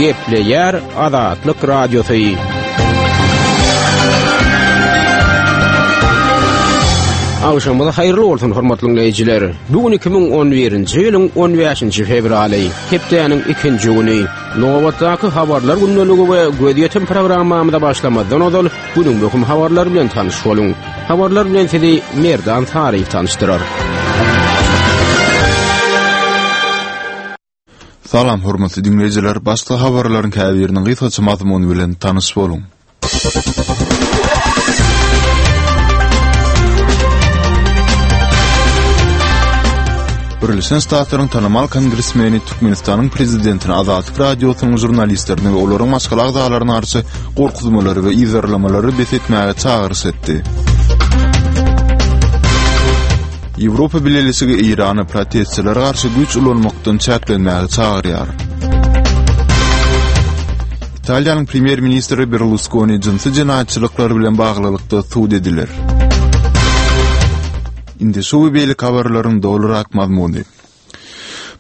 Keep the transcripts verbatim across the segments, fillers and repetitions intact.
Gepleýär Azatlyk Radiosy. Agşamyňyz haýyrly bolsun hormatly dinleýjiler. Bu gün iki müň on birinji ýylyň on bäşinji fewraly, hepdäniň ikinji güni. Nobatdaky habarlar gündeligi we gözýetim programmamyza başlamazdan ozal günüň möhüm habarlary bilen tanyş boluň. Habarlar bilen sizi Merdan Saryýew tanyşdyrar. Salam hormatly dinleýjiler, başda habarlaryň käbiriniň gysgaça mazmuny bilen tanyş boluň. Birleşen Ştatlaryň tanymal kongresmeni Türkmenistanyň prezidentini Azatlyk Radiosynyň žurnalistlerini we olaryň maşgala agzalaryna garşy gorkuzmalary we yzarlamalary bes etmäge çagyryş etdi. Ýewropa Bileleşigi Eýrany protestçilere garşy güýç ulanmakdan çäklenmäge çagyrýar. Italiýanyň premýer-ministri Berluskoni jynsy jenaýatçylyklar bilen baglylykda sud ediler. Indi şu we beýleki habarlaryň dolurak mazmuny.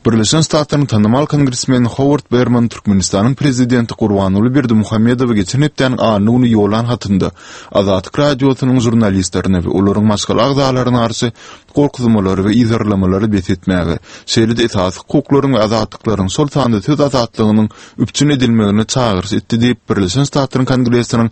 Birleşen Ştatlaryň tanymal kongresmeni Howard Berman Türkmenistanyň prezidenti Gurbanguly Berdimuhamedowa geçen hepdäniň anna güni ýollan hatynda Azatlyk Radiosynyň žurnalistlerine we olaryň maşgala agzalaryna garşy gorkuzmalary we yzarlamalary bes etmäge, şeýle-de esasy hukuklaryň we azatlyklaryň, şol sanda söz azatlygynyň üpjün edilmegine çagyryş etdi diýip, Birleşen Ştatlaryň Kongresiniň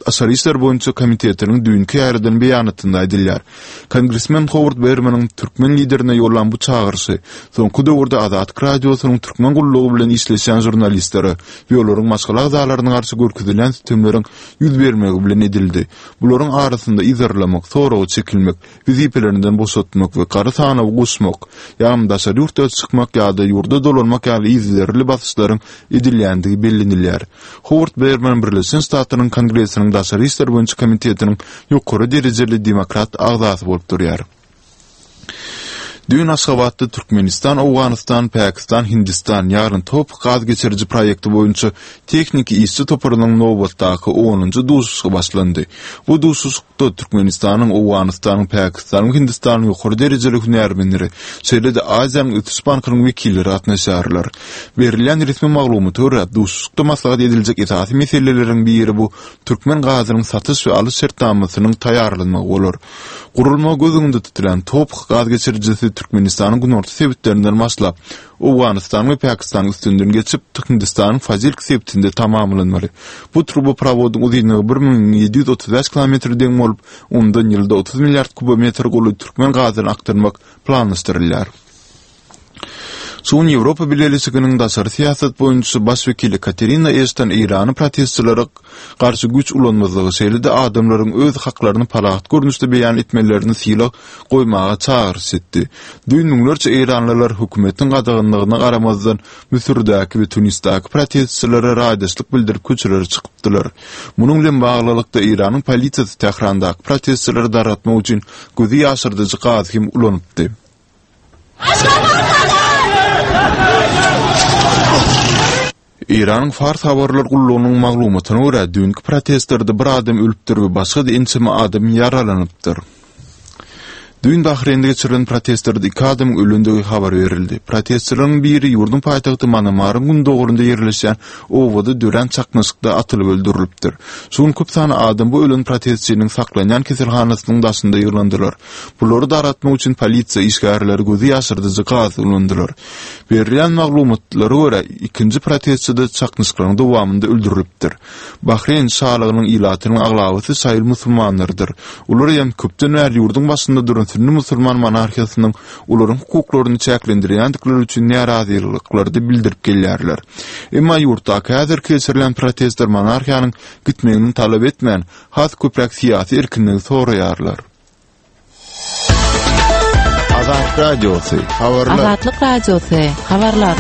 Daşary işler boýunça komitetiniň düýnki ýaýradan beýanatynda aýdylýar. Kongresmen Howard Bermanyň türkmen liderine ýollan bu çagyryşy soňky döwürde Azatlyk Radiosynyň türkmen gullugy bilen işleşýän žurnalistlere we olaryň maşgala agzalaryna garşy görkezilýän sütemleriň ýüz bermegi bilen edildi. Bularyň arasynda yzarlamak, soraga çekilmek, wezipelerinden boşatmak we gara sanawa goşmak, ýagny daşary ýurtda çykmak ýa-da ýurda dolanmak ýaly yzygiderli basyşlaryň edilýändigi bellenilýär. Howard Berman Birleşen Ştatlaryň Kongresiniň Daşary işler boýunça komitetiniň ýokary derejeli demokrat agzasy bolup durýar. Düýn Aşgabatda Türkmenistan, Owganystan, Pakistan, Hindistan, ýagny TOPH gaz geçiriji proýekti boýunça tehniki işçi toparynyň nobatdaky onunjy duşuşygy başlandy. Bu duşuşykda Türkmenistanyň, Owganystanyň, Pakistanyň we Hindistanyň ýokary derejeli hünärmenleri, şeýle-de Aziýanyň ösüş bankynyň wekilleri gatnaşýarlar. Berilýän resmi maglumata görä, duşuşykda maslahat ediljek esasy meseleleriň biri bu türkmen gazynyň satyş we alyş şertnamasynyň taýýarlanmagy bolar. Gurulmagy göz öňünde tutulan TOPH gaz geçirijisi Türkmenistanyň günorta sebitlerinden başlap, Owganystanyň we Pakistanyň üstünden geçip, Hindistanyň Fazilk sebitinde tamamlanmaly. Bu truboprowodyň uzynlygy bir müň ýedi ýüz otuz bäş kilometre deň bolup, ondan ýylda otuz milliard kubometr golaý türkmen gazyny akdyrmak planlaşdyrylýar. Şu gün Ýewropa Bileleşiginiň daşary syýasat boýunça baş wekili Katerina Eşton Eýrany protestçilere garşy güýç ulanmazlygy, şeýle-de adamlaryň öz haklaryny parahat görnüşde beýan etmelerini sylag goýmaga çagyryş etdi. Düýn müňlerçe eýranlylar hökümetiň gadaganlygyna garamazdan Müsürdäki we Tunisdäki protestçilere raýdaşlyk bildirip köçelere çykypdylar. Munuň bilen baglylykda Eýranyň polisiýasy Tährandaky protestçileri dargatmak üçin gözi ýaşardyjy gazy hem ulanypdy. Eýranyň Fars habarlar gullugynyň maglumatyna görä, düýnki protestlerde bir adam ölüpdir we başga-da ençeme adam ýaralanypdyr. Düýn Bahreýnde geçirilen protestlerde iki adamyň ölendigi habar berildi. Protestçileriň biri ýurduň paýtagty Manamaryň gündogarynda ýerleşýän obada dörän çaknyşykda atylyp öldürilipdir. Şu gün köp sanly adam bu ölen protestçiniň saklanýan keselhanasynyň daşynda ýygnandylar. Bulary dargatmak üçin polisiýa işgärleri gözi ýaşardyjy gaz ulandylar. Berilýän maglumatlara görä, ikinji protestçi-de çaknyşyklaryň dowamynda öldürilipdir. Bahreýn şalygynyň ilatynyň aglabasy şaýyl musulmanlarydyr. Olar hem köpden bäri ýurduň başynda duran sünni musulman monarhiýasynyň olaryň hukuklaryny çäklendirýändikleri üçin närazylyklaryny bildirip gelýärler. Emma ýurtdaky häzirki geçirilýän protestler monarhiýanyň gitmegini talap etmän, has köpräk syýasy erkinligi soraýarlar. Azatlyk Radiosy, habarlar. Azatlyk Radiosy, habarlar.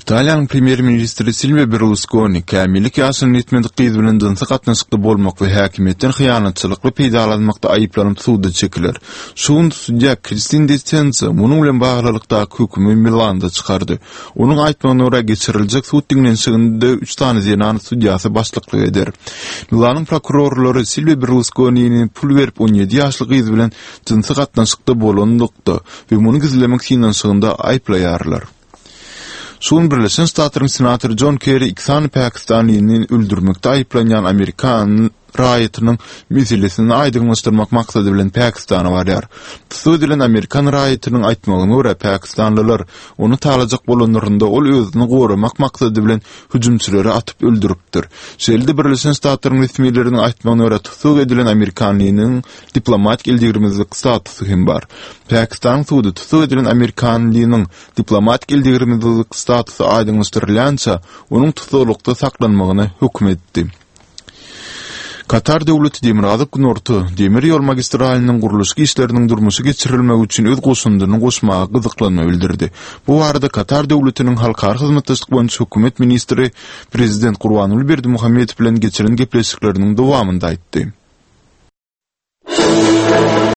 Italiýanyň premýer-ministri Silwio Berluskoni kämillik ýaşyna ýetmedik gyz bilen jynsy gatnaşykda bolmak we häkimiýetden hyýanatçylykly peýdalanmakda aýyplanyp suda çekiler. Şu gün sudýa Kristin De Senso munuň bilen baglylykdaky hökümi Milanda çykardy. Onuň aýtmagyna görä, geçiriljek sud diňlenişiginde üç sany zenan sudýasy başlyklyk eder. Milanyň prokurorlary Silwio Berluskonini pul berip on ýedi ýaşly gyz bilen jynsy gatnaşykda bolanlykda we muny gizlemek synanyşygynda aýyplaýarlar. Şu gün Birleşen Ştatlaryň senatory Jon Kerri iki sany pakistanlyny öldürmekde aýyplanýan amerikan raýatynyň meselesini aýdyňlaşdyrmak maksady bilen Pakistana barýar. Tussag edilen amerikan raýatynyň aýtmagyna görä, pakistanlylar ony talajak bolanlarynda ol özüni goramak maksady bilen hüjümçileri atyp öldüripdir. Şeýle-de Birleşen Ştatlaryň resmileriniň aýtmagyna görä, tussag edilen amerikanlynyň diplomatik eldegrilmezlik statusy hem bar. Pakistanyň sudy tussag edilen amerikanlynyň diplomatik eldegrilmezlik statusy aýdyňlaşdyrylýança onuň tussaglykda saklanmagyna höküm etdi. Katar döwleti Demirgazyk-Günorta demir ýol magistralynyň gurluşyk işleriniň durmuşa geçirilmegi üçin öz goşundyny goşmaga gyzyklanma bildirdi. Bu barada Katar döwletiniň halkara hyzmatdaşlyk boýunça hökümet ministri prezident Gurbanguly Berdimuhamedow bilen geçiren gepleşikleriniň dowamynda aýtdy.